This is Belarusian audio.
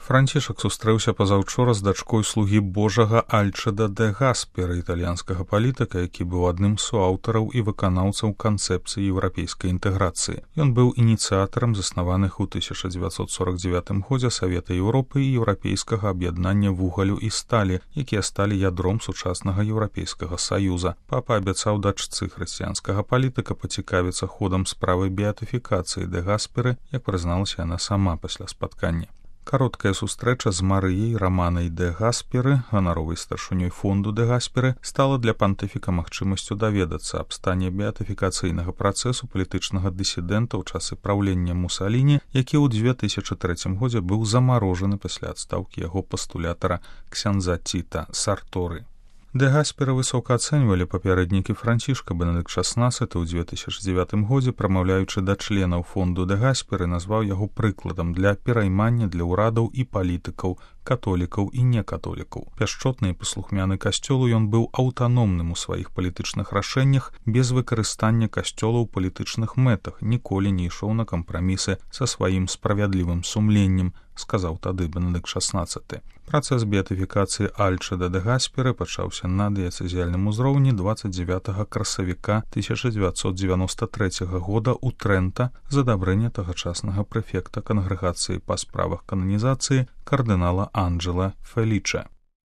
Францішак сустрэўся пазаўчора з дачкой слугі Божага Альчеда де Гаспера, італьянскага палітыка, які быў адным з суаўтараў і выканаўцаў канцэпцыі еўрапейскай інтэграцыі. Ён быў ініцыятарам заснаваных у 1949 годзе Савета Еўропы і Еўрапейскага аб'яднання вугалю і сталі, якія сталі ядром сучаснага Еўрапейскага саюза. Папа абяцаў дачцы хрысціянскага палітыка пацікавіцца ходам справы беатыфікацыі де Гаспера, як прызналася яна сама пасля спаткання. Кароткая сустрэча з Марыяй Раманай де Гаспера, ганаровай старшынёй фонду де Гаспера, стала для пантыфіка магчымасцю даведацца аб стане беатыфікацыйнага працэсу палітычнага дысідэнта ў часы праўлення Мусаліні, які ў 2003 годзе быў замарожаны пасля адстаўкі яго пастулятара ксяндза Тіта Сарторы. Де Гаспера высока ацэньвалі папярэднікі Францішка. Бенедыкт XVI ў 2009 годзе, прамаўляючы да членаў фонду де Гаспера, назваў яго прыкладам для пераймання для ўрадаў і палітыкаў, католікаў і некатолікаў. Пяшчотны і паслухмяны касцёлу, ён быў аўтаномным у сваіх палітычных рашэннях, без выкарыстання касцёла ў палітычных мэтах, ніколі не ішоў на кампрамісы са сваім справядлівым сумленнем, сказаў тады Бенедыкт XVI. Працэс беатыфікацыі Альчеда де Гаспера пачаўся на дыяцэзіяльным узроўні 29 красавіка 1993 года ў Трэнта з адабрэння тагачаснага прэфекта кангрэгацыі па справах кананізацыі кардынала Анджела Феліча.